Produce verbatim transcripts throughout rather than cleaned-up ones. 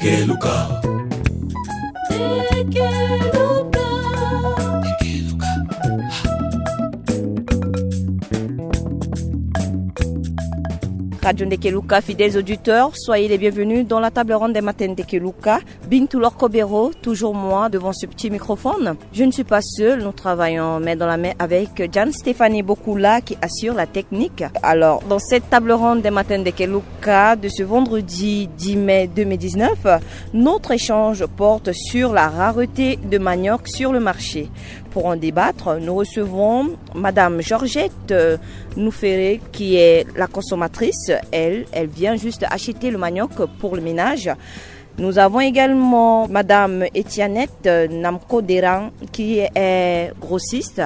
Keluka. Radio Ndekeluka, fidèles auditeurs, soyez les bienvenus dans la table ronde des matins Ndekeluka. Bintou Lorkobero, toujours moi devant ce petit microphone. Je ne suis pas seule, nous travaillons main dans la main avec Diane Stéphanie Bokula qui assure la technique. Alors, dans cette table ronde des matins Ndekeluka de ce vendredi dix mai deux mille dix-neuf, notre échange porte sur la rareté de manioc sur le marché. Pour en débattre, nous recevons Madame Georgette, euh, Nouféré, qui est la consommatrice. Elle, elle vient juste acheter le manioc pour le ménage. Nous avons également Madame Etianette, euh, Namko Deran, qui est grossiste.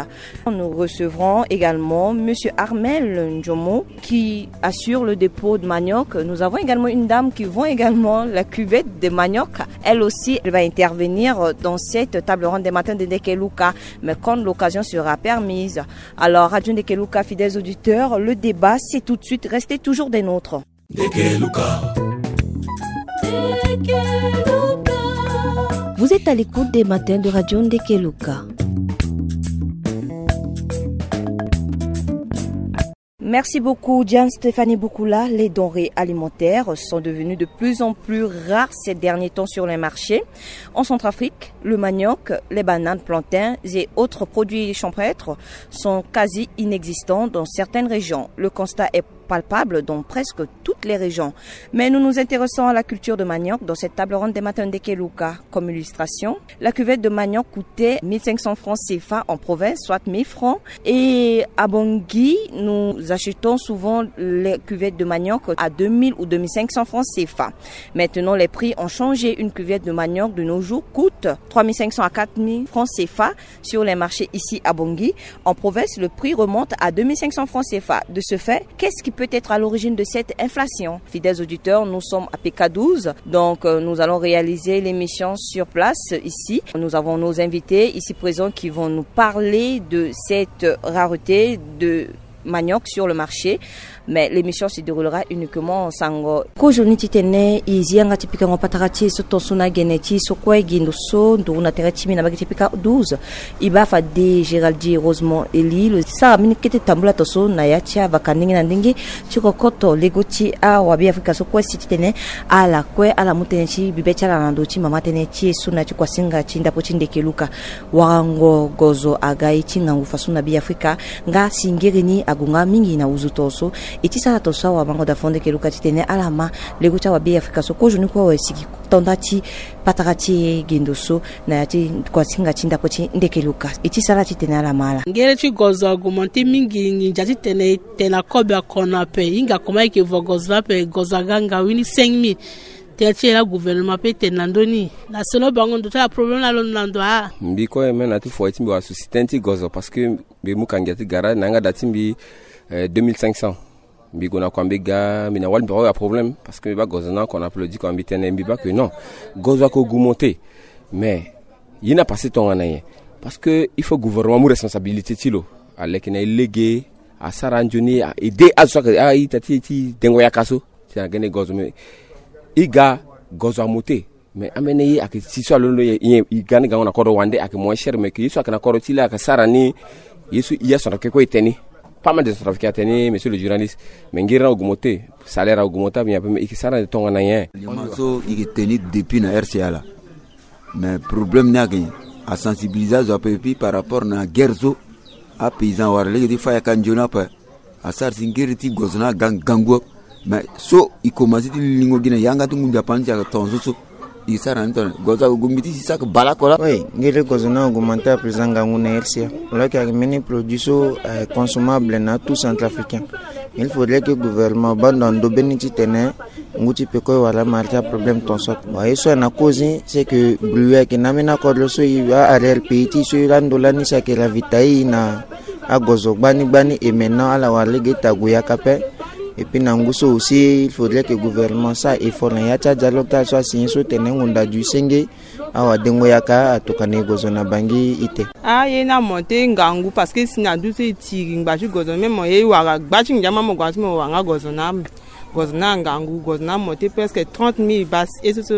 Nous recevrons également Monsieur Armel Ndjomo, qui assure le dépôt de manioc. Nous avons également une dame qui vend également la cuvette de manioc. Elle aussi, elle va intervenir dans cette table ronde des matins de Ndekeluka, mais quand l'occasion sera permise. Alors, Radio Ndekeluka, fidèles auditeurs, le débat, c'est tout de suite. Restez toujours des nôtres. Ndekeluka. Vous êtes à l'écoute des matins de Radio Ndekeluka. Merci beaucoup, Diane Stéphanie Bokula. Les denrées alimentaires sont devenues de plus en plus rares ces derniers temps sur les marchés. En Centrafrique, le manioc, les bananes, plantains et autres produits champêtres sont quasi inexistants dans certaines régions. Le constat est palpable dans presque toutes les régions. Mais nous nous intéressons à la culture de manioc dans cette table ronde des matins Ndekeluka. Comme illustration, la cuvette de manioc coûtait mille cinq cents francs C F A en province, soit mille francs. Et à Bangui, nous achetons souvent les cuvettes de manioc à deux mille ou deux mille cinq cents francs C F A. Maintenant, les prix ont changé. Une cuvette de manioc de nos jours coûte trois mille cinq cents à quatre mille francs C F A sur les marchés ici à Bangui. En province, le prix remonte à deux mille cinq cents francs C F A. De ce fait, qu'est-ce qui peut être à l'origine de cette inflation ? Fidèles auditeurs, nous sommes à P K douze, donc, euh, nous allons réaliser l'émission sur place ici. Nous avons nos invités ici présents qui vont nous parler de cette rareté de manioc sur le marché, mais l'émission se déroulera uniquement en sango. Kozoni titene e zi yanga ti pikango patara ti e so tonso na gene ti so kue gi ndo so nduru na tere ti mbi na mbage ti P K douze. E baa fade Géraldi Rosemond Elie lo sara mbeni kete tambula tonso na ya ti avaka ndenge na ndenge ti kokoto lego ti awabe afrika so kue si titene ala kue ala mu tënë ti bibe ti ala na ndo ti mama tënë ti e so na ya ti kuasinga ti ndapo ti Ndekeluka. Warango gozo aga ye ti ngangu faso na Beafrika, nga singiri ni ague nga mingi na wuzu tonso. E ti sara tonso awamango da fo Ndekeluka titene ala ma lego ti awabe Afrika so kozoni kue awe sigi tonda ti patara ti e gendo so na ya ti kuasinga ti ndapo ti Ndekeluka. E ti sara titene ala ma ala. Ngere ti gozo augmente mingi, nginza titene e tene na kobe akona ape, e hinga koma e yeke vo gozo ni ape, gozo aga ngawini cinq mille. Tere ti e la gouvernement pe tene na ndö ni. Na seno bango ndo ti ala problème na londo na ndo a. Mbi kue même na ti foyer ti mbi wala souci tënë ti gozo parce que mbi mu ka ngia ti garage na yanga da ti mbi, eh, deux mille cinq cents. Mbi gue na kua mbi ga mbi na wali mbi awe aproblème parce que mbi baa gozo ni oko na ape lo diko na mbi tënë mbi baa que non, gozo oko augmente. Mais ye ni apassé tongana nyen? Parce que il faut gouvernement amu responsabilité ti lo, aleke na e lege, asara anzoni, a aidé azo so ayeke a-ita ti e ti dengo yaka so. Ti na gene gozo me. E ga gozo amu te. Mais ambeni ye ayeke si so alondo nyen? E ga ni gango na kodro wande ayeke moins cher, mais que ye so ayeke na kodro ti la ayeke sara ni. Ye so e ya centrafricain kue e tene ni. Pas mal de centrafricain atene ni, monsieur le journaliste. Mais ngiri ni augmente, salaire augmente, mais e yeke sara ni tongana nyen? Aliment so e yeke tene ni depuis na R C A la. Mais problème ni ayeke nyen? Asensibilisé azo ape, et puis par rapport na guerre so, apaysan awara lege ti fâ yaka nzoni ape. Asara si ngiri ti gozo ni aga ngangu. Mais so e komanse ti lingo gi na yanga ti ngu nzapa ni ti ayeke tongaso so. E sara ni tongana gozo ayeke gue mbi ti si so ayeke bale oko laa. Oui, ngiri ti gozo ni augmente à présent ngangu na R C A. Lo yeke ayeke mbeni produit so, eh, consommable na tout centrafricain. Il faudrait que gouvernement abâ ndo na ndo mbeni titene ngu ti peko e wara marché aproblème tongaso. Bon, ye so ayeke na cause ni, c'est que bru ayeke na ambeni akodro so e, a-arrière pays ti e so e laa ndo lani so ayeke ravitailler e na agozo gbani gbani, et maintenant ala wara lege ita gue yaka ape. Et puis na ngu so aussi, il faudrait que gouvernement asara effort na ya ti adialogue ti ala so asigné so tene ngonda du senge awadengo yaka atokua na e gozo na Bangui ite. Ah, ye ni amonté ngangu parce que si na du so e tiri ngba ti gozo, même mo ye e wara gba ti nginza, mo gue na ti mo wara nga gozo na ame. Gozo na ngangu, gozo na monté presque trente mille bas, e so so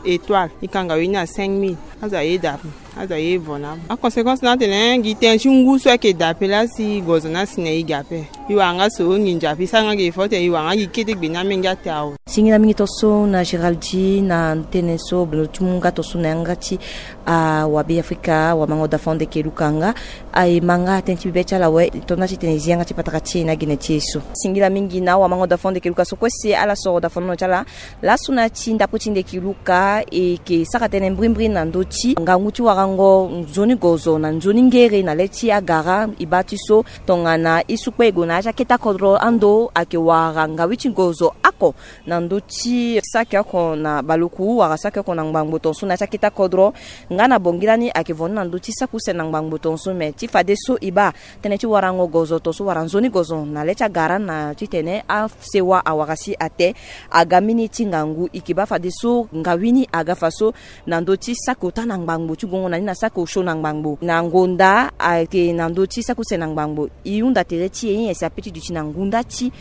étoile, e kanga we ni na cinq mille. Azo aye da ape, azo aye vo na ape. Aconséquence ni atene gi tënë ti ngu so ayeke da ape laa si gozo ni asi na e ge ape. E wara nga so nginza ape, e sara nga ge fo tene e wara nga gi kete gbe ni amenge ate awe. Singila mingi tonso na Géraldi na tënë so beno ti mu nga tonso na yanga ti awabe Afrika, awamango Dafon de Keluka nga. Aye ma nga tënë ti bibe ti ala awe, e to nda ti tene e zi yanga ti patara ti e na gene ti e so. Singila mingi na awamango Dafon de Keluka so kue si ala soro dafonono ti ala. Laso na ya ti ndapo ti nde Keluka e yeke sara tënë mbrimbri na ndö ti ngangu ti warango nzoni gozo na nzoni ngere na le ti agara. E baa ti so tongana e sukpe e gue na ya ti akete akodro ando ayeke wara ngawi ti gozo oko na ndö ti saki oko na baleku wala saki oko na ngbangbo tonso na ya ti akete akodro. Nga na bongi lani ayeke vo ni na ndö ti saki use na ngbangbo tonso, me ti fadeso e baa tënë ti warango gozo tonso wala nzoni gozo na le ti agara na titene asewa awara si ate aga mbeni ti ngangu. E yeke baa fadeso ngawi ni aga fa so na ndö ti saki ota na ngbangbo ti gongo na ni na saki osio na ngbangbo na ngonda ayeke na ndö ti saki use na ngbangbo. E hunda tere ti e nyen si ape ti duti na ngunda ti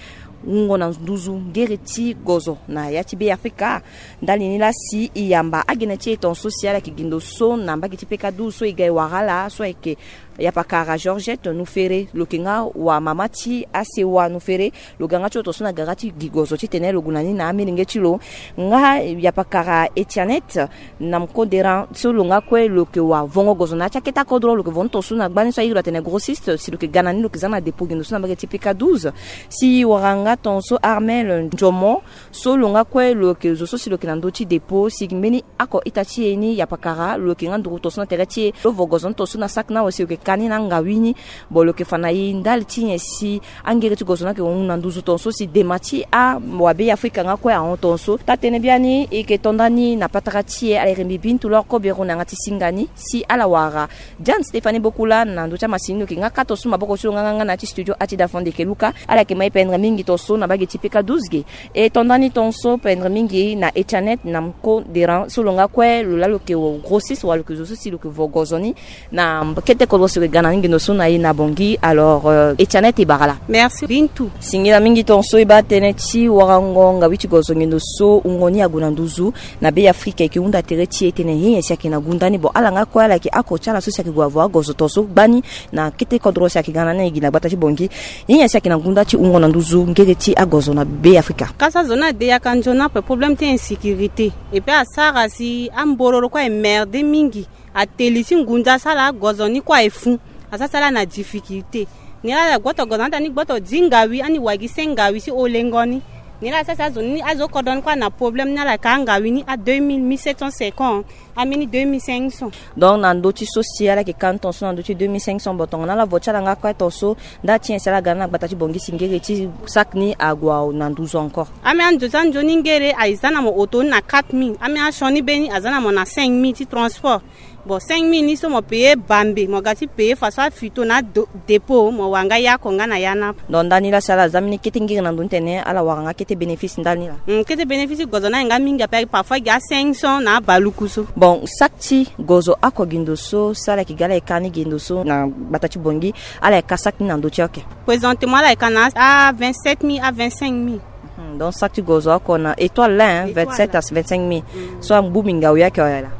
wungo na nduzu ngere ti gozo na ya ti Be Afrika. Ndali ni laa si e yamba agene ti e tonso si ala yeke gi ndo so na mbage ti peka douze so e ga e wara ala so ayeke yapakara Georgette Nufere, lo yeke nga wamama ti asewa Nufere. Lo ga nga ti lo tonso na gara ti gi gozo titene lo gue na ni na amelenge ti lo. Nga yapakara Etianet na mkoderan so lo nga kue lo yeke wavongo gozo na ya ti akete akodro, lo yeke vo ni tonso na gbani so airi lo atene grossiste, si lo yeke ga na ni lo yeke za na dépôt gi ndo so na mbage ti peka douze. Si e wara nga tonso Armel Ndiomo so lo nga kue lo yeke zo so si lo yeke na ndö ti dépôt, si mbeni oko ita ti e ni yapakara lo yeke nga nduru tonso na tere ti e. Lo vo gozo ni tonso na saki ni awe si lo yeke ka ni na angawi ni. Bon, lo yeke fa na e ndali ti nyen si angere ti gozo ni ayeke hon na nduzu tonso si dema ti awabe Afrika nga kue ahon tonso. Taa-tënë biani e yeke to nda ni na patara ti e, ala iri mbi Bintu Lor Kobero na yanga ti singa ni si ala wara Diane Stéphanie Bokula na ndö ti amasini. Lo yeke nga ka tonso maboko ti lo nga nga na ya ti studio ati Dafon de Keluka. Ala yeke ma e pendre mingi tonso na mbage ti peka douze ge. E to nda ni tonso pendre mingi na Etianet na mkoderan so lo nga kue lo laa lo yeke grossiste wala lo yeke zo so si lo yeke vo gozo ni na kete kodro si lo yeke ga na ni gi ndo so na e na bongi. Alors, euh, Etianet e bara laa. Merci Bintu. Singila mingi tonso e baa tënë ti warango ngawi ti gozo ngindu so wungo ni ague na nduzu na Be Afrika. E yeke hunda tere ti e tene nyen si ayeke na gunda ni. Bon, ala nga kue ala yeke oko ti ala so si ayeke gue avo agozo tonso gbani na kete kodro si ayeke ga na ni gi na gbata ti bongi. Nyen si ayeke na gunda ti wungo na nduzu ngere ti agozo na Be Afrika? Kasa zo ni ade yaka nzoni ape, problème ti insécurité. Et puis asara si ambororo kue aye merde mingi. Ateli ti ngunza so ala gozo ni kue aye fu. Asara si ala na difficulté. Ni laa ala gboto gozo ni ata ni gboto di ngawi ani wagi se ngawi si olengo ni. Ni laa asara si azo ni, azo kodro ni kue ana problème ni ala ka ngawi ni a deux mille, mille sept cent cinquante, ambeni deux mille cinq cents. Donc na ndö ti so si ala yeke ka ni tonso na ndö ti deux mille cinq cents, bon, tongana ala vo ti ala nga kue tonso, nda ti nyen si ala ga na gbata ti bongi si ngere ti saki ni ague na nduzu encore? Ambeni anzo ti anzoni ngere aye za na mo oto ni na quatre mille, ambeni asioni be ni aza na mo na cinq mille ti transport. Bon, cinq mille ni so mo paye bambe, mo ga ti paye façon afito na do-, dépôt, mo wara nga ya oko nga na ya ni ape. Donc ndani laa si ala za mbeni kete ngiri na ndo ni tene ala wara nga kete bénéfice ndani laa? Hmm, kete bénéfice gozo ni aye nga mingi ape, parfois gi a cinq cents na abaluku so. Bon, saki ti gozo oko gi ndo so si ala yeke ga ala yeke ka ni gi ndo so na gbata ti bongi, ala yeke ka saki ni na ndo ti oke? Présentement ala yeke ka na a vingt-sept mille, a vingt-cinq mille. Hmm, donc saki ti gozo oko na étoile laa, hein, étoile vingt-sept laa à vingt-cinq mille. Hmm. So angbu mingi awe ake oyo laa?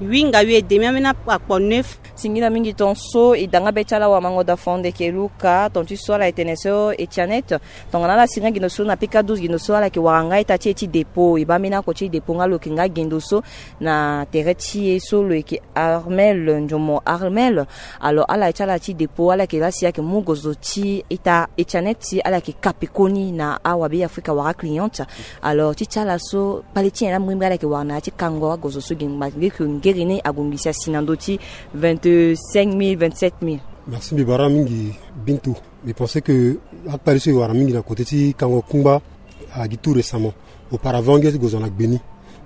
Huit nga huit et demi, ambeni akpo neuf. Singila mingi tonso, e da nga be ti ala wamango da Fondeke Luka, ton ti so ala e tene so e ti anete. Tongana ala si nga gi ndo so na P K douze, gi ndo so ala yeke wara nga ita ti e ti dépôt, e baa mbeni oko ti dépôt nga lo yeke nga gi ndo so na tere ti e so lo yeke Armel Ndiomo Armel. Alors ala ti ala ti dépôt, ala yeke laa si ayeke mu gozo ti ita e ti anete ti ala yeke ka pekoni na awabe Afrika wala aclient. Alors ti ti ala so kpale ti nyen laa mbrimbri ala yeke wara na ya ti kango agozo so gi ngba nge ke ngere ni ague ngi si asi na ndo ti vingt-cinq mille, vingt-sept mille. Merci mbi bara mingi Bintu. Mbi pense que akpale so e wara mingi na côté ti kango kungba agi tout récemment. Auparavant ngia ti gozo na gbe ni.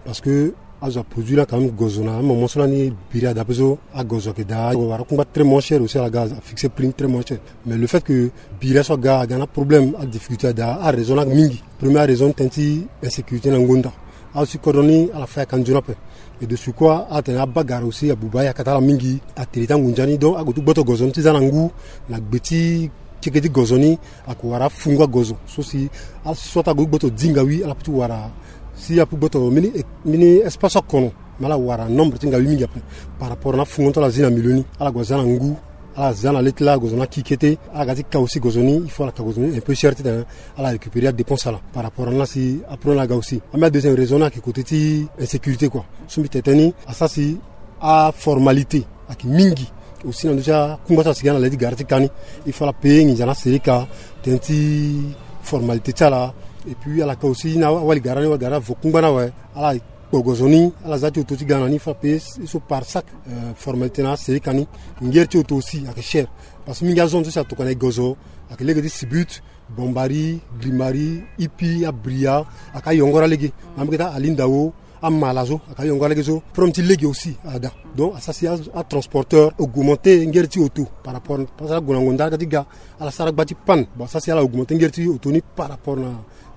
Parce que azo aproduit laa quand même gozo na amomo so lani biri ada ape so agozo ayeke daa. Wara kungba très moins cher aussi, ala ga afixe prix ni très moins cher. Mais le fait que biri aso aga aga na problème, adifficulté ada, araison laa mingi. Première raison tënë ti insécurité na ngonda. Azo ti kodro ni ala fa yaka nzoni ape. Et de surcroît atene abagara aussi abuba ayaka ti ala mingi, atene ti angunza ni. Donc ague ti gboto gozo ni ti za na ngu na gbe ti teke ti gozo ni, ako wara afungo agozo so si, ala si so ata ague ti gboto di ngawi, ala peut ti wara si ape gboto mbeni, mbeni espace akono. Mais ala wara nombre ti ngawi mingi ape. Par rapport na afungo ti ala zi na milieu ni, ala gue aza na ngu, ala za na le ti la gozo ni aki kete. Ala ga ti ka aussi gozo ni, il faut ala ka gozo ni un peu cher titene ala récupérer adépense ala. Par rapport na ala si apro ni aga aussi. Ambeni adeuxième raison ni ayeke côté ti insécurité quoi. So mbi tene tënë ni asara si aformalité ayeke mingi aussi na ndö ti akungba so asigi na le ti gara ti ka ni. Il faut ala payer nginza na aserika tënë ti formalité ti ala. Et puis ala ka aussi na awali gara ni, awali gara avo kungba ni awe. Ala kpo gozo ni, ala za ti oto ti ga na ni, il faut ala payer so par sac, euh, formalité na aserika ni. Ngere ti oto aussi ayeke cher. Parce que mingi azone so si atokua na e gozo ayeke lege ti Sibut, Bombari, Grimari, Ipi, Abria, ayeke ayongora lege. Na mbage ti Alindao, Amala so ayeke ayongora lege so. Problème ti lege aussi ada. Donc asara si a, atransporteur augmenter ngere ti oto par rapport, parce que ague na ngonda aga ti ga, ala sara gba ti panne. Bon asara si ala augmenter ngere ti oto ni par rapport na,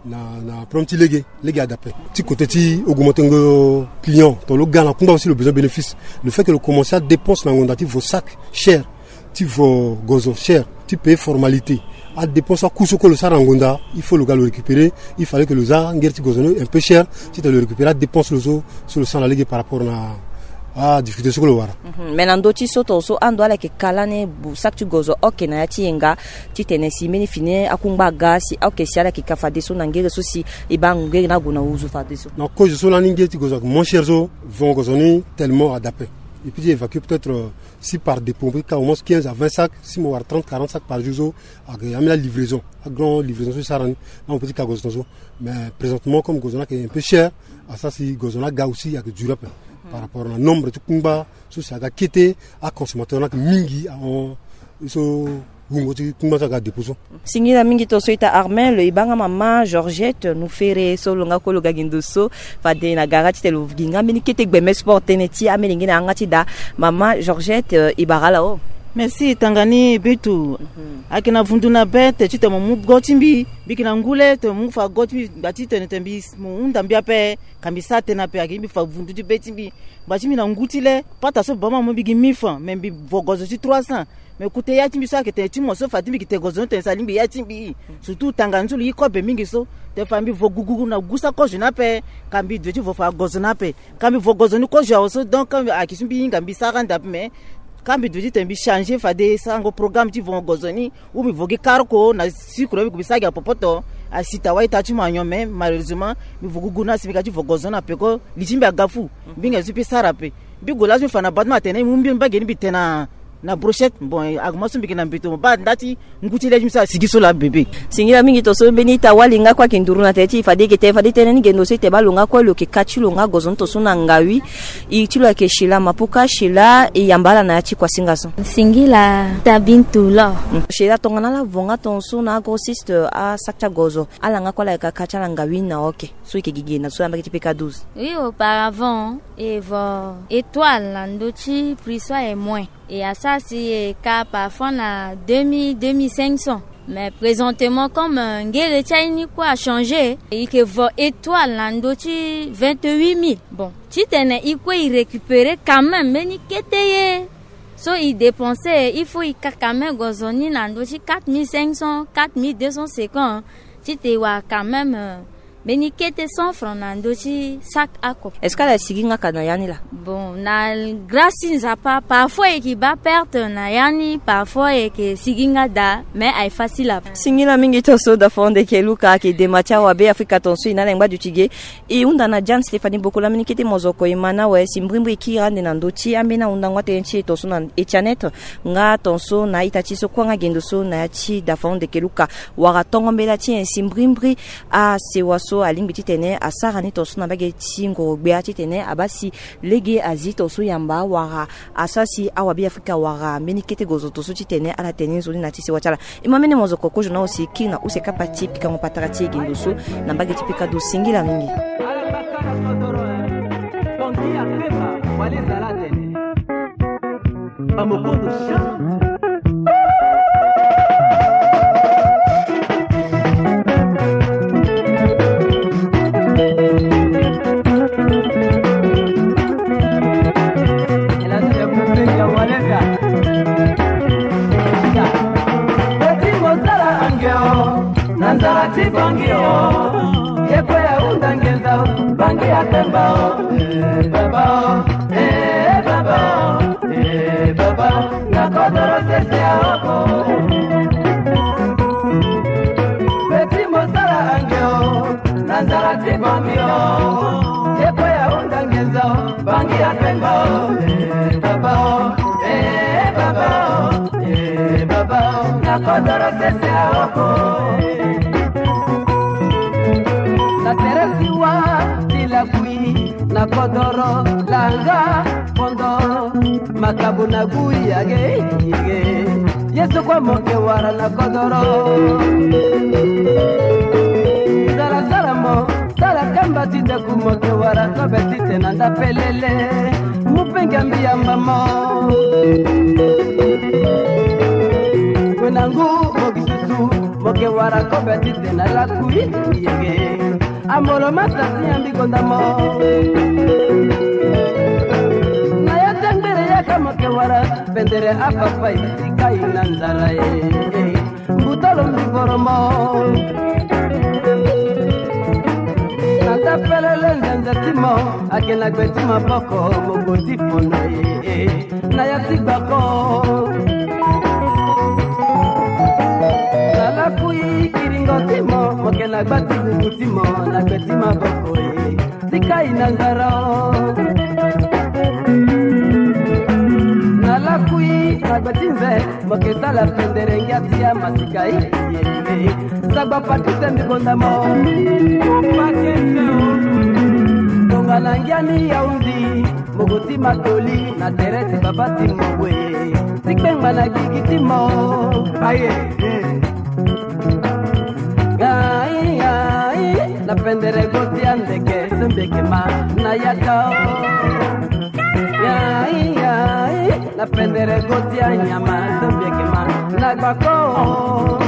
na, na problème ti lege. Lege ada ape. Ti côté ti augmenter ngo client, to lo ga na kungba aussi lo besoin bénéfice. Le fait que lo commencer adépense na ngonda ti vo sac cher, ti vo gozo cher, ti payer formalité, adépense aku so kue lo sara na ngonda, il faut lo ga lo récupérer. Il fallait que lo za ngere ti gozo ni un peu cher titene lo récupérer adépense lo so, so lo sara na lege par rapport na adifficulté so kue lo wara. Mhm. Mais na ndö ti so tongaso ando ala yeke ka lani bu sac ti gozo oke na ya ti yenga, titene si mbeni fini akungba aga si oke si ala yeke ka fadeso na ngere so si e baa ngere ni ague na wuzu fadeso. Na kozo so lani ngere ti gozo ayeke moins cher so, vo gozo ni tellement ada ape. E peut ti évacuer peut-être, euh, si par dépôt mo peut ti ka au moins quinze à vingt sacs, si mo wara trente quarante sacs par jour so, ayeke ambeni alivraison, agrand livraison so e sara ni, na mo peut ti ka gozo tongaso. Mais présentement comme gozo ni ayeke un peu cher, asara si gozo ni aga aussi ayeke dure ape. Par rapport na nombre ti kungba so si aga kete, aconsommateur ni ayeke mingi ahon. So wungo ti kungba so aga dépôt so. Singila mingi tongaso ita Armel, e baa nga mama Georgette Nufere so lo nga kue lo ga gi ndo so. Fade na gara titene lo gi nga mbeni kete gbeme sport tënë ti amelenge na yanga ti da. Mama Georgette, euh, e bara ala o. Merci tanga ni Bintu. Mhm. Ayeke na vundu na be tene titene mo mu go ti mbi, mbi yeke na ngu le tene mo mu fa go ti mbi, ngba titene tene mbi, mo hunda mbi ape, ka mbi sara tënë ape, ayeke mbi fa vundu ti be ti mbi. Ngba ti mbi na ngu ti le, pata so bama mo mbi gi mille francs, mais mbi vo gozo ti trois cents. Mais kute ya ti mbi so ayeke tene ti mo so fa ti mbi yeke tene gozo ni tene si alingbi ya ti mbi. Surtout tanga ni so lo yi kobe mingi so. Tene fa mbi vo gugugu na gu sa kozo ni ape, ka mbi due ti vo fa gozo ni ape. Ka mbi vo gozo ni kozo awe so, donc ayeke so mbi hinga mbi sara ande ape, mais ka mbi due ti tene mbi changer fade sarango programme ti vongo gozo ni. Ou mbi vo gi karoko na sucre, mbi gue mbi sara gi na popoto. Asi ta wai ta ti mo anyon, mais malheureusement mbi vo gugu na asi mbi ga ti vo gozo na peko li ti mbi aga fu. Mbi hinga so mbi sara ape. Mbi gue laso mbi fa na bâtiment atene mbi mu mbi mbage ni mbi te na, na brochette. Bon, aguma so mbi yeke na mbeto mo baa nda ti ngu ti le ti mbi so asigi so laa bebe. Singila mingi tongaso mbeni ita wali nga kue ayeke nduru na tene ti e fade e yeke tene fade tënë ni ge ndo so e tene baa lo nga kue lo yeke ka ti lo nga gozo ni tongaso na ngawi. E ti lo ayeke Sheila Mapuka. Sheila, e yamba ala na ya ti kuasinga so. Singila ita Bintu lo. Mm. Sheila, tongana ala vo nga tongaso na agrossiste, asac ti agozo, ala nga kue ala yeke ka ti ala ngawi na oke so e yeke gi ge na so na mbage ti P K douze. Oui, auparavant e vo étoile na ndö ti prix so aye moins. E asara si e ka parfois na deux mille, deux mille cinq cents. Mais présentement, comme, euh, ngere ti aye ni kue achangé, e yeke vo étoile na ndö ti vingt-huit mille. Bon, titene e kue e récupérer quand même mbeni kete ye so e dépenser, il faut e ka quand même gozo ni na ndö ti quatre mille cinq cents, quatre mille deux cent cinquante, titene e wara quand même, euh, mbeni kete cent francs na ndö ti sac oko. Est-ce que ala sigi nga ka na ya ni laa? Bon, na grâce ti Nzapa, parfois e yeke baa perte na ya ni, parfois e yeke sigi nga daa, mais aye facile ape. Singila mingi tongaso Dafa Ndeke Luka, ayeke dema ti awabe Afrika tongaso e na ala e ngba duti ge. E hunda na Jeanne Stéphanie Bokola, mbeni kete mozoko e ma na awe si mbrimbri e kiri ande na ndö ti ambeni ahundango atënë ti e tongaso na Etianet nga tongaso na a-ita ti e so kue nga ge ndo so na ya ti Dafa Ndeke Luka. Wara tongo mbela ti nyen si mbrimbri asewa so alingbi titene asara ni tongaso na mbage ti ngoro-gbia titene abaa si lege azi tongaso yamba wala asara si awabe Afrika wara mbeni kete gozo tongaso titene ala tene nzoni na ya ti sewa ti ala. E ma mbeni mozoko kozo na awe si e kiri na use kapa ti pikango patara ti e ge ndo so na mbage ti P K douze. Singila mingi. Bamokoto chante. Ye kue ahunda ngenza o, bangi ya pemba o, eh, baba o, eh, baba o, eh, baba o, na kodoro sese ya oko. Beti mosala ange o, na nzala ti bangi o. Ye kue ahunda ngenza o, bangi ya pemba o, eh, baba o, eh, baba o, eh, baba o, na kodoro sese ya oko. Na tere ti wa ti lakui, na kodoro langa pondo, makabu na gui yage yege. Yesu kue mo ke wara na kodoro. Zara zara mo, sara kamba ti ndeku mo ke wara kobe ti te na nda pelele. Mu pe ngambi yamba mo. Kue na ngu mo gi susu, mo ke wara kobe ti te na lakui yege. Ambolo masa ti ambi gonda mo. Na ya ti angbere yaka mo ke wara, pendere apapa ye ti kai na nzara ye. Mbutolo mbi boro mo. Na ta pelele nzenze ti mo, ake na gbe ti maboko, mo go ti fono ye. Na ya ti gbako. Na lakui kiringo ti mo, mo ke na gba ti gugu ti mo, na gbe ti maboko ye. Ti kai na nzara o. Na lakui na gbe ti nze, mo ke sala pendere ngia ti ya masika ye. Sagba pakete mbi gonda mo. Pakete o. Tongana ngia ni yaundi. Mogo ti matoli na tere ti baba ti mo we. Ti kpengba na gigi ti mo. Aye. Ai, ai, na pendere go ti andeke, sembeke ma na yaka o. Ai, ai, na pendere go ti anyama, sembeke ma na gbako o.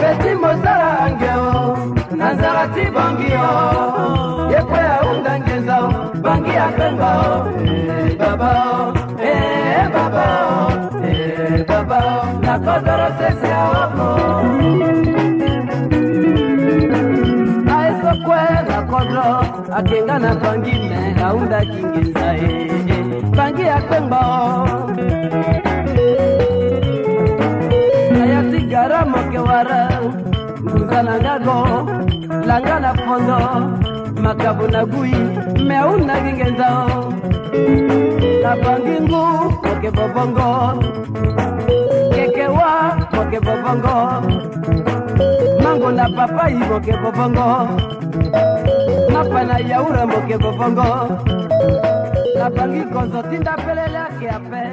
Beti mosala ange o. Na nzala ti bangi o, ye kue ahunda ngenza o, bangi ya pemba o, eh, baba o, eh, baba o, eh, baba o, na kodoro sese ya oko. Aye so kue na kodro, ake nga na bangi me, ahunda ki ngenza e, eh, bangi ya pemba o. Na ya ti gara mo ke wara. Ngunza na nga go, langa na pondo, makabu na gui, me ahunda gi ngenza o. Na bangi ngu, mo ke bobongo. Kekewa, mo ke bobongo. Mango na papayi, mo ke bobongo. Mapa na yaura, mo ke bobongo. Na bangi kozo ti nda pelele ake ape.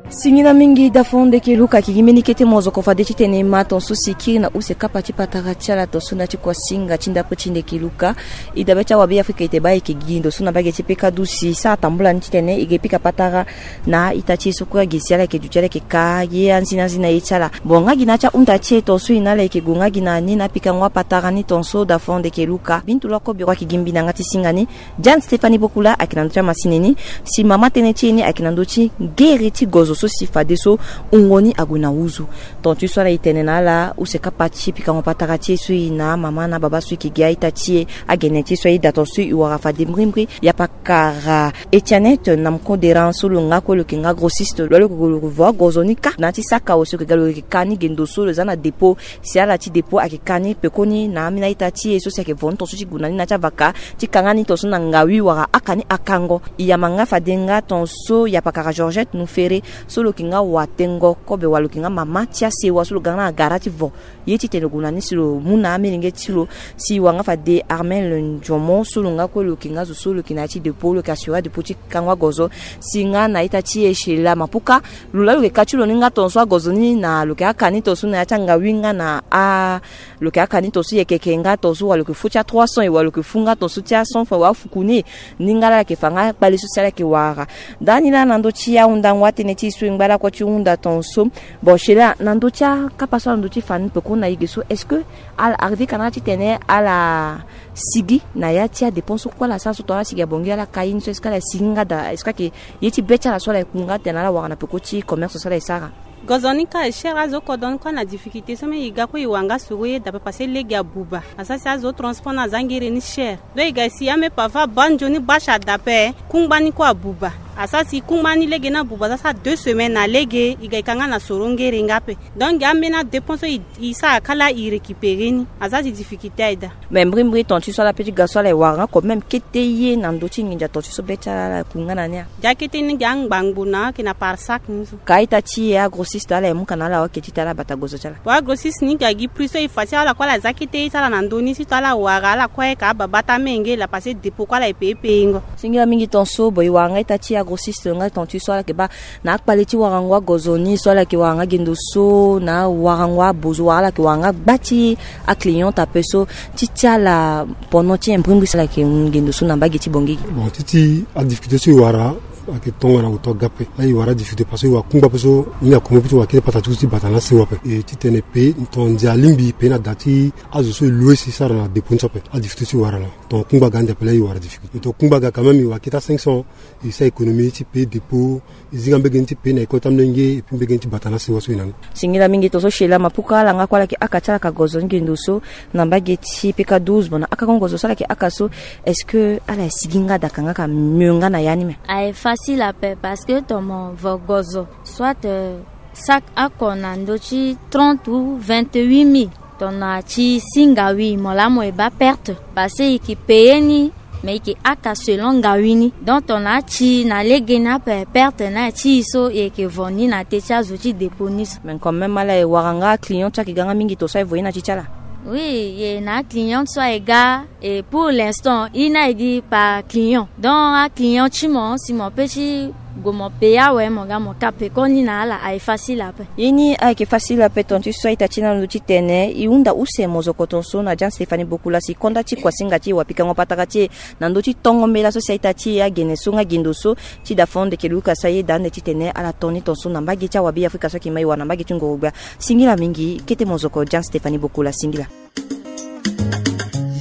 Singila mingi dafo ndeke Luka, ayeke gi mbeni kete mozoko fade titene e ma tonso si e kiri na use kapa ti patara ti ala tonso na ya ti kuasinga ti ndapre ti ndeke Luka. E dabe ti awabe Afrika e te baa ayeke gi ndo so na mbage ti peka dusi. E sara tambula ni titene e ke pika patara na a-ita ti e so kue agi si ala yeke duti ala yeke ka ye anzina anzina ye ti ala. Bon, nga gi na ya ti ahunda ti e tonso e na ala yeke gue nga gi na ni na apikango apatara ni tonso dafo ndeke Luka. Bintu loko biro ayeke gi mbi na yanga ti singa ni. Diane Stéphanie Bokula ayeke na ndö ti amasini ni. Si mama tënë ti e ni ayeke na ndö ti ngere ti gozo so si fadeso wungo ni ague na nduzu. Tonga ti so ala e tene na ala use kapa ti pikango patara ti e so e na amama na ababa so e yeke gi a-ita ti e, agene ti e so aye daa tonso e wara fade mbrimbri. Yapakara Etienne Namko Deran so lo nga kue lo yeke nga grossiste, lo yeke gue lo yeke vo agozo ni kâ na ya ti saka awe so lo yeke ga lo yeke ka ni ge ndo so lo za na dépôt. Si ala ti dépôt ayeke ka ni pekoni na ambeni a-ita ti e so si ayeke vo ni tonso ti gue na ni na ya ti avaka ti ka nga ni tonso na ngawi wala aka ni akango. E yamba nga fade nga tonso yapakara Georgette Nufere so lo yeke nga watengo kobe wala lo yeke nga mama ti asewa so lo ga nga na agara ti vo ye titene lo gue na ni si lo mu na amolenge ti lo. Si e wara nga fade Armel Ndiomo so lo nga kue lo yeke nga zo so lo yeke na ya ti dépôt, lo yeke assurer adépôt ti kango agozo. Si nga na a-ita ti e Sheila Mapuka, lo laa lo yeke ka ti lo ni nga tonso agozo ni na lo yeke aka ni tonso na ya ti angawi nga na a, lo yeke aka ni tonso yekeke nga tonso wala lo yeke fu ti a trois cents e wala lo yeke fu nga tonso ti a cent francs wala afuku ni. Ni nga laa ala yeke fa nga kpale so si ala yeke wara. Ndani laa na ndö ti ahundango atënë ti e so e ngba lakue ti hunda tonso. Bon, Sheila, na ndö ti akapa so ala ndö ti fa ni peko na e ge so, est-ce que ala arrivé ka na ala titene ala sigi na ya ti adépense so kue ala sara so tongana ala sigi abongi ala ka ye ni so, est-ce que ala sigi nga daa, est-ce que ayeke ye ti be ti ala so ala yeke ku nga tene ala wara na peko ti commerce so ala yeke sara? Gozo ni ka e cher, azo kodro ni kue na difficulté so même e ga kue e wara nga soro ye dape parce que lege abuba. Asara si azo transport na aza ngere ni cher. Donc e ga e si ame parfois banjo ni bâche adape, kungba ni kue abuba. Asara si kungba ni lege ni abuba, asara si a deux semaines na lege, e ga e ka nga na soro ngere nga ape. Donc ame na dépense so e, e sara kala e récupérer ni. Asara si difficulté aye daa. Mais mbrimbri ton ti so ala pe ti ga so ala e wara nga quand même kete ye na ndö ti nginza ton ti so be ti ala ala ku nga na ni a. Dia kete ni gi angbangbo na ayeke na par sac ni so. Ka a-ita ti e agrossiste ala e mu ka na ala wake ti tara bata gozo ti ala. Bon, agrossiste ni gi agi prix so e fa ti ala kue ala za kete ye ti ala na ndö ni si to ala wara ala kue ka ababa ti amenge la parce que dépôt kue ala e payé payé ngo. Singila mingi ton so, bon, e wara nga a-ita ti e agrossiste nga ton ti so ala yeke baa na akpale ti warango agozo ni so ala yeke wara nga gendo so na warango abozo wala ala yeke wara nga gba ti aclient ape so ti ti ala pendant ti un mbrimbri so ala yeke mu gendo so na mbage ti bongigi. Bon, ti ti adifficulté so e wara ayeke tongana oto aga ape. Aye e wara difficulté parce que e wara kungba ape so ni akomo ape ti wara kete pata ti so ti bata na asewa ape. E titene e pe ton ndia alingbi e pe na da ti azo so e loue si e sara na dépôt ni so ape. Adifficulté so e wara laa. Ton kungba aga ande ape laa e wara difficulté. E ton kungba aga quand même e wara kete a cinq cents. E sara économie ti pe dépôt, e zi nga mbege ni ti pe na école ti amolenge, et puis mbege ni ti bata na asewa so e na ni. Singila mingi ton so Sheila Mapuka, ala nga kue ala yeke aka ti ala ka gozo ni gendo so na mbage ti P K douze. Bon, na aka ngo gozo so ala yeke aka so, est-ce que ala e sigi nga daa ka nga ka mieux nga na ya ni me? Aye facile ape parce que ton mo vo gozo soit, euh, sac oko na ndö ti trente ou vingt-huit mille. Tongana ti si ngawi mo laa mo e baa perte parce que e yeke payer ni, mais e yeke aka selon ngawi ni. Donc tongana ti na lege ni ape perte ni aye ti e so e yeke vo ni na te ti azo ti dépôt ni so. Mais quand même ala e wara nga client ti ayeke ga nga mingi ton so aye vo ye na ti ti ala. Oui, e na aclient so aye ga. Et pour l'instant e na e gi par client. Donc aclient ti mo si mo pe ti gue mo payer awe mo ga mo ka pekoni na ala aye facile ape. Ye ni ayeke facile ape ton ti so a-ita ti e na ndö ti tene e hunda use mozoko ton so na Jean Stéphanie Bokula si konda ti kuasinga ti e wapikango patara ti e na ndö ti tongo mbela so si a-ita ti e agene so nga gendo so ti da fon ndeke luka sa ye da ande titene ala to ni ton so na mbage ti awabe Afrika so ayeke mai wa na mbage ti ngorogbia. Singila mingi kete mozoko Jean Stéphanie Bokula singila.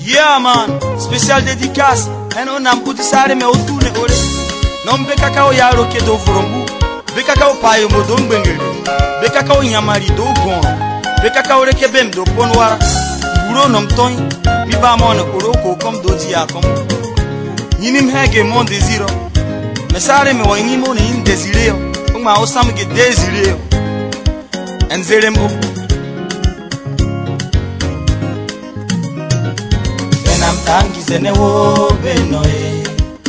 Yeah man, spécial dédicace. Heno nam udi sare me o tune ore. Nom be kaka o yaro ke do vorombu. Be kaka o payo mo do ngbengere. Be kaka o nyamari do gon. Be kaka o reke bem do ponwara. Uro nom toy. Mi ba mon oro ko kom do dia kom. Ni nim hege mon désiro. Me sare me wa ni mo ni désiré. O ma o sam ge désiré. Nzerem o. Bena mtangi zene wo beno e.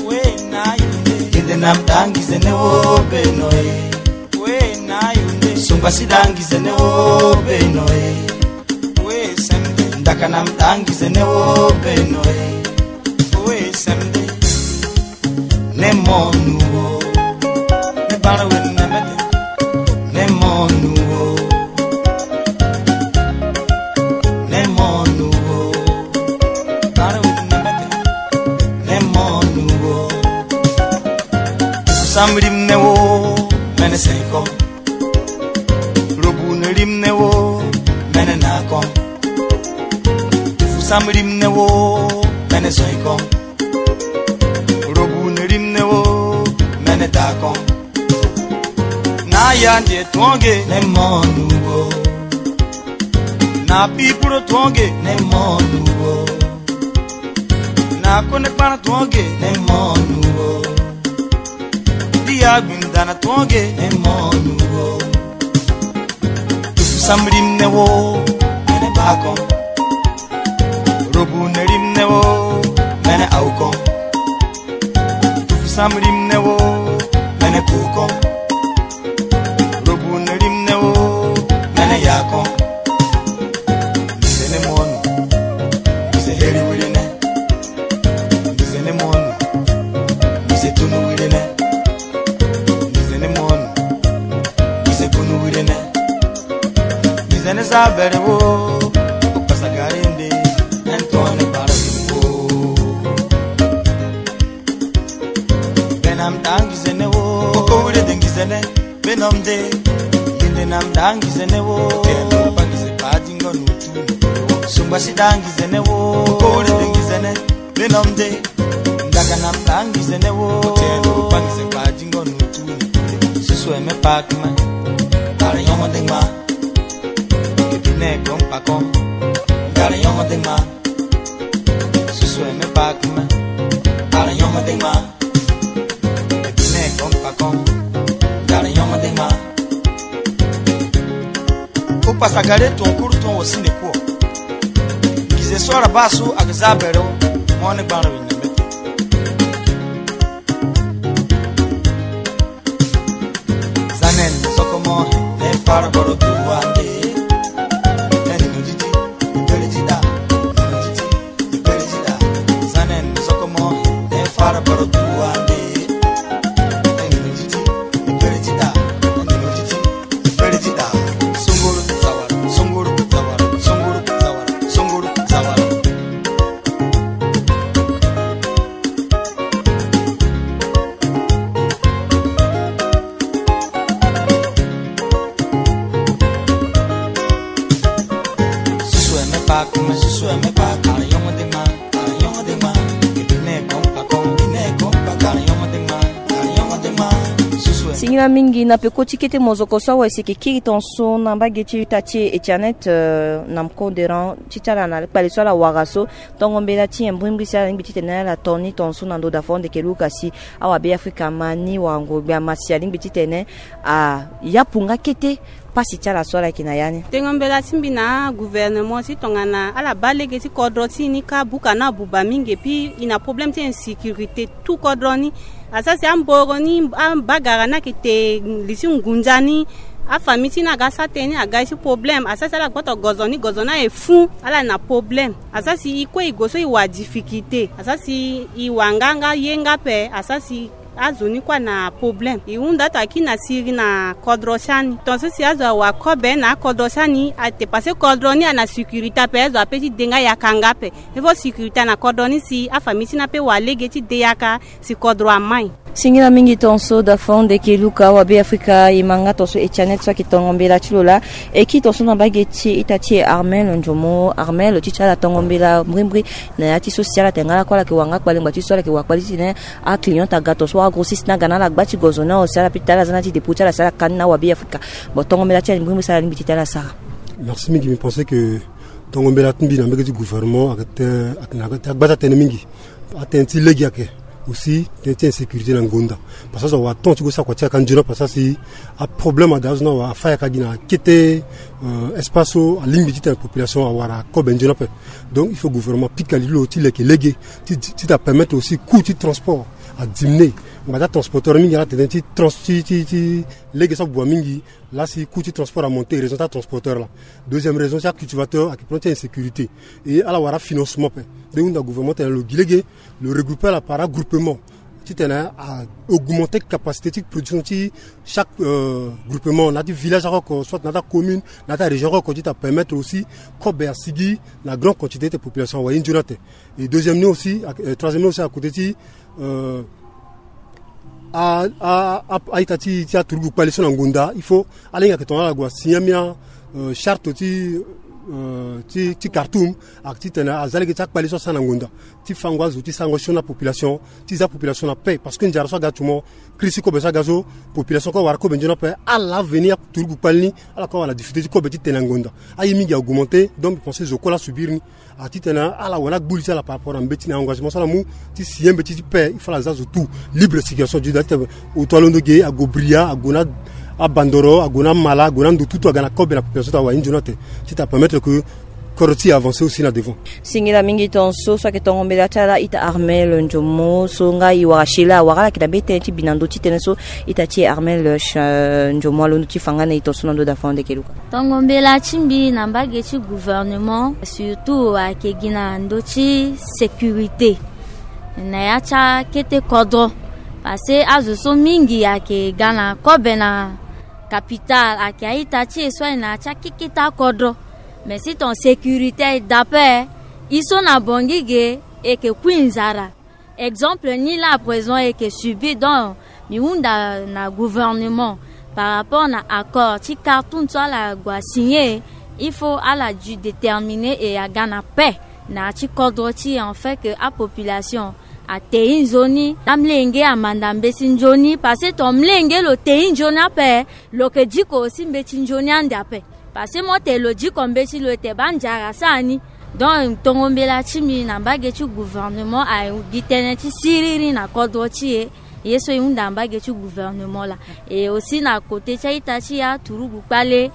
We na yunde. Kende na mtangi zene wo beno e. We na yunde. Sumba sidangi zene wo beno e. We sembe. Ndaka na mtangi zene wo beno e. We sembe. Ne monu wo. Ne bara we ne mete. Ne monu wo. Ne monu wo. Bara we ne mete. Ne monu wo. Samrim ne wo. Mene seko. Robu ne rim ne wo. Mene nako. Fusam rim ne wo. Mene soiko. Robu ne rim ne wo, mene dakon. Na yandi e tuonge ne monu wo. Na pipuro tuonge ne monu wo. Na kone kpana tuonge ne monu wo. Dia gbindana tuonge ne monu wo. Tufu samrim ne wo, mene bakon. Robu ne rim ne wo, mene aukon. Tufu samrim ne wo, mene kukon. Robu ne rim ne wo, mene yakon. Mizene monu, mize heri wirine. Mizene monu, mize tunu wirine. Mizene monu, mize kunu wirine. Mizene zabere wo, o pasagare nde, entone para wo. Benam dangi zene wo, o kowire dengi zene. Benom de, yende nam dangi zene wo. Tendo pangi ze padi ngo nutu. Sumba si dangi zene wo. Kore dengi zene. Benom de, ndaga nam dangi zene wo. Tendo pangi ze padi ngo nutu. Susu eme pakma. Para nyom Opasa gare ton kuru ton wo si ne kuo. Ngize so ala baa so aga za bere wo. Mo ne gbara wi na mbete. Zanen sokomo ne fara boro tuwa nde. Nani no jiti, ibere jida, no jiti, ibere jida. Zanen sokomo ne fara boro tuwa nde. Nani no jiti, ibere jida, nani no jiti, ibere jida. Sunguru zawara, sunguru zawara, sunguru zawara, sunguru zawara. Singila mingi na peko ti kete mozoko so awe si eke kiri ton so na mbage ti ita ti e Etianet, euh, na mko deran ti ti ala na kpale so ala wara so. Tongo mbela ti e mbrimbri si alingbi titene ala to ni ton so na ndo da fo ndeke luka si awabe Afrika ama ni wangogbe ama si alingbi titene a yapu nga kete pasi ti ala so ala yeke na ya ni. Tengo mbela ti mbi na gouvernement ti tongana ala baa lege ti kodro ti e ni kâ buka na abuba mingi, epui e na problème ti insécurité tout kodro ni. Asara si amboro ni, abagara ni ayeke te li ti ngunza ni. Afamille ti ni aga sara tënë ni aga ye ti problème. Asara si ala gboto gozo ni, gozo ni aye fû, ala na problème. Asara si e kue e gue so e wa difficulté. Asara si e wa nga nga ye nga ape. Asara si azo ni kue ana problème. E hunda ata kiri na siriri na kodro ti ani. Tongaso si azo awa kobe na akodro ti ani, ate parce que kodro ni ana sécurité ape, azo ape ti de nga yaka nga ape. Il faut sécurité na kodro ni si afamille ti ni ape wa lege ti de yaka si kodro amai. Singila mingi ton so da fo ndeke luka awabe Afrika, e ma nga ton so Etianet so ayeke tongo mbela ti lo laa. E kiri ton so na mbage ti ita ti e Armel Ndiomo. Armel, ti ti ala tongo mbela mbrimbri na ya ti so si ala tene nga lakue ala yeke wa nga kpale ngba ti so ala yeke wa kpale titene aclient aga ton so wala grossiste ni aga na ala gba ti gozo ni awe si ala pita ala za na ya ti dépôt ti ala si ala ka ni na awabe Afrika. Bon, tongo mbela ti ala mbrimbri si ala lingbi ti tene ala sara. Merci mingi. Mbi pense que tongo mbela ti mbi na mbage ti gouvernement ayeke tene, ayeke na ya ti agba ti atënë mingi. Atënë ti lege ayeke aussi tënë ti insécurité na ngonda. Parce que azo awa temps ti go sara kua ti yaka nzoni ape, parce que si aproblème ada azo ni awa afa yaka gi na kete, euh, espace so alingbi titene population awara akobe nzoni ape. Donc il faut gouvernement apika li ti lo ti leke lege ti, ti, ti ta permettre aussi coût ti transport adiminuer. Ngba ti atransporteur mingi ala tene ti trans, ti, ti, ti lege so abuba mingi. Laa si coût ti transport amonte, raison ti atransporteur laa. Deuxième raison ti acultivateur ayeke problème ti insécurité. Et ala wara afinancement ape. Nde hunda gouvernement tene lo gi lege, lo regrouper ala par agroupement titene a augmenter capacité ti production ti chaque, euh, groupement, na ya ti village oko oko, soit na ya ti acommune, na ya ti arégion oko oko, ti ta permettre aussi kobe asigi na grande quantité ti population awa ye nzoni ate. Et deuxième ni aussi, euh, troisième ni aussi, à côté ti, euh, a, a, a, a-ita ti, ti aturugu kpale so na ngonda, il faut ala hinga ayeke tongana ala gue asigner ambeni, euh, charte ti, euh, ti, ti Khartoum, ayeke titene aza lege ti akpale so asara na ngonda ti fango azo ti sarango sioni na population, ti za population na paix, parce que nzara so aga ti mo, crise ti kobe so aga so, population kue awara kobe nzoni ape. Ala veni aturugu kpale ni, ala kue awara na difficulté ti kobe ti tene na ngonda. Aye mingi a augmenter, donc mbi pense zo kue laa asubir ni. A titene ala wara na gbu li ti ala par rapport na mbeti na engagement so ala mu ti signer mbeti ti paix, il faut ala za zo tout libre circulation du, da titene oto alondo ge ague Bria, ague na abandoro, ague na mala, ague na ndo tutu aga na kobe na population ti awa ye nzoni ate, ti ta permettre que kodro ti e avancer aussi na devant. Singila mingi ton so, so ayeke tongo mbela ti ala ita Armel Ndiomo so nga e wara sila awara ala yeke na be tënë ti bi na ndö ti tënë so ita ti e Armel, euh, Ndiomo alondo ti fa nga na e ton so na ndö da fo ndeke luka. Tongo mbela ti mbi na mbage ti gouvernement, surtout ayeke gi na ndö ti sécurité na ya ti akete kodro. Parce que azo so mingi ayeke ga na kobe na capitale, ayeke a-ita ti e so aye na ya ti akekete akodro. Mais si ton sécurité aye daa ape, e so na Bangui ge e yeke kui nzara. Exemple ni laa à présent e yeke subir, donc mbi hunda na gouvernement par rapport na accord ti Khartoum so ala gue asigner, il faut ala du déterminer et aga na paix na ya ti kodro ti e, en fait que apopulation Atei nzoni amlenge amanda mbeti nzoni, parce que ton mlenge lo tei nzoni ape, lo yeke diko aussi mbeti nzoni ande ape. Parce que mo tene lo diko mbeti lo ete baa nzara asara ni. Donc tongo mbela ti mbi na mbage ti gouvernement, agi tënë ti siriri na kodro ti e. Ye so e hunda na mbage ti gouvernement laa. Et aussi na côté ti a-ita ti e aturugu kpale,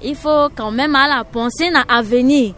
il faut quand même ala penser na avenir.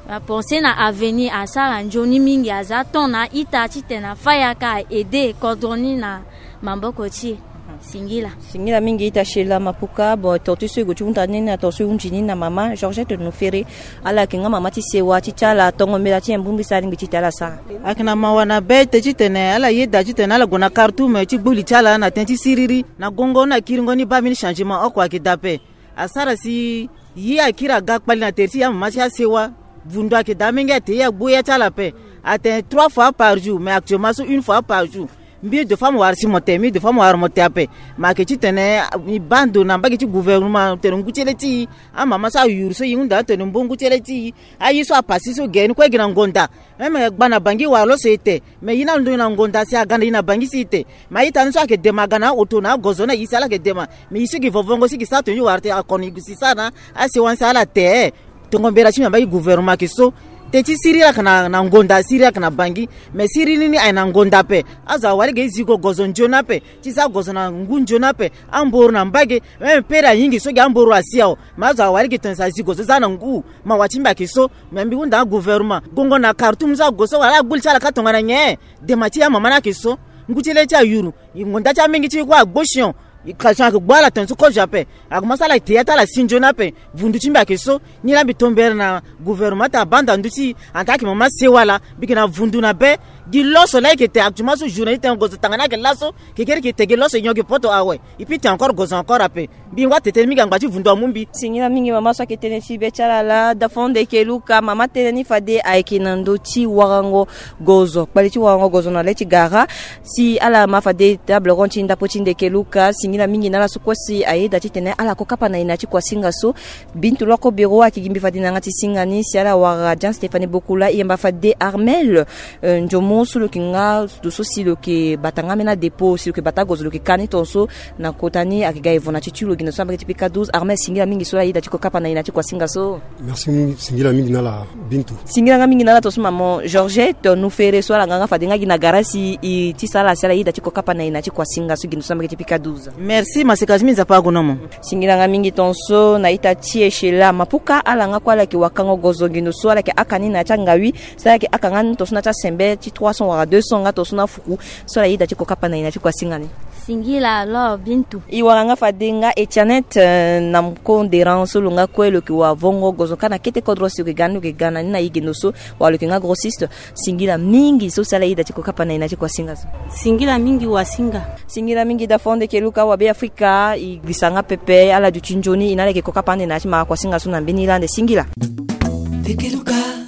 Apenser na avenir, asara nzoni mingi, aza temps na a-ita titene afa yaka a-aider kodro ni na maboko ti e. Singila. Singila mingi ita Sheila Mapuka. Bon, tonga ti so e gue ti hunda ni na tonga so e hunzi ni na mama Georgette Nufere, ala yeke nga mama ti sewa ti ti ala, tongo mbela ti nyen bongbi so alingbi titene ala sara? Ayeke na mawa na be ete titene ala yeda titene ala gue na Khartoum ti gbu li ti ala na tënë ti siriri na gongo na kiringo ni baa mbeni changement oko ayeke daa ape. Asara si ye akiri aga kpali na tere ti amama ti asewa. Vundu ayeke daa mingi, ate ye agbu ya ti ala ape. Atene trois fois par jour, mais actuellement so une fois par jour. Mbi deux fois mo wara si mo te, mbi deux fois mo wara mo te ape. Ma ayeke titene e baa ndo na mbage ti gouvernement tene ngu ti le ti e, amama so ayuru so e hunda atene mbo ngu ti le ti e. Aye so apasi so gere ni kue e gi na ngonda. Même gba na Bangui wara lo so e te. Mais ye ni alondo e na ngonda si aga na e na Bangui si e te. Mais a-ita ni so ayeke dema aga na aoto na agozo na e si ala yeke dema. Mais e si gi vovongo si gi sara tongana e wara te, akono e gi si sara na asewa ni si ala te. Tongo mbela ti mbi na mbage ti gouvernement ayeke so. Tënë ti siriri ayeke na, na ngonda, siriri ayeke na Bangui. Mais siriri ni aye na ngonda ape. Azo awara lege e zigo gozo nzoni ape. Ti za gozo na ngu nzoni ape. Amboro na mbage. Même pere ayingi so gi amboro asi awe. Mais azo awara lege tongana si azigo so za na ngu. Mawa ti mbi ayeke so. Mais mbi hunda agouvernement, gongo na Khartoum so ague so wala agbu li ti ala ka tongana nyen? Dema ti amama ni ayeke so. Ngu ti le ti ayuru. Ngonda ti amingi ti e kue agbo sion. Kration ayeke gbu ala tongana so kozo ape. Ague ma so ala te ya ti ala si nzoni ape. Vundu ti mbi ayeke so. Ni laa mbi tombere na gouvernement ti abanda ndu ti e. Ata ayeke mama sewa laa. Mbi yeke na vundu na be. Gi loso laa e yeke te actuellement so journée ti tene gozo tanga ni ayeke laso. Kekereke e te gi loso e nyon gi poto awe. E pi te encore gozo encore ape. Mbi ngba tete ni mingi angba ti vundu amu mbi. Singila mingi mama so ayeke tënë ti be ti ala laa. Dafonde Keluka, mama tënë ni fade ayeke na ndö ti warango gozo, kpali ti warango gozo na le ti gara. Si ala ma fade table ronde ti ndapo ti nde Keluka, singila mingi na ala so kue si ayeda titene ala ko kapa na ina ti kuasinga so. Bintu Loko Biro ayeke gi mbi fade na yanga ti singa ni si ala wara Jean Stéphanie Bokula, e yamba fade Armel, euh, Nzomo so lo yeke nga ndo so si lo yeke bata nga ambeni adépôt, si lo yeke bata agozo, lo yeke ka ni tongaso. Na kota ni ayeke ga evo na ti ti lo gi na so na mbage ti pika douze. Armel, singila mingi so ala yeda ti ko kapa na ina ti kuasinga so. Merci mingi, singila mingi na ala Bintu. Singila nga mingi na ala tongaso maman Georgette Nufere so ala nga nga fade nga gi na gara si e ti sara ala si ala yeda ti ko kapa na ina ti kuasinga so gi na so na mbage ti pika douze. Merci maseka ti mbi, Nzapa ague na mo. Singila nga mingi tongaso na ita ti e Sheila Mapuka, ala nga kue ala yeke wakango gozo gi na so ala yeke aka ni na ya ti angawi. Si ala yeke aka nga ni tongaso na ya ti asembe ti trois cents wala deux cents nga tongaso na afuku. So ala yeda ti ko kapa na ina ti kuasinga ni. Singila alors Bintu. E wara nga fade nga Etianet, euh, na mko nderan so lo nga kue lo yeke wa vongo gozo ka na kete kodro si lo yeke ga ni, lo yeke ga na ni na e gi na so. Wala lo yeke nga grossiste. Singila mingi so si ala yeda ti ko kapa na ina ti kuasinga so. Singila mingi wasinga. Singila mingi Dafonde Keluka, wa Be Afrika, e gbisa nga pepe, ala duti nzoni, e na ala yeke ko kapa ande na ya ti mara kuasinga so na mbeni laa ande. Singila. Be Keluka.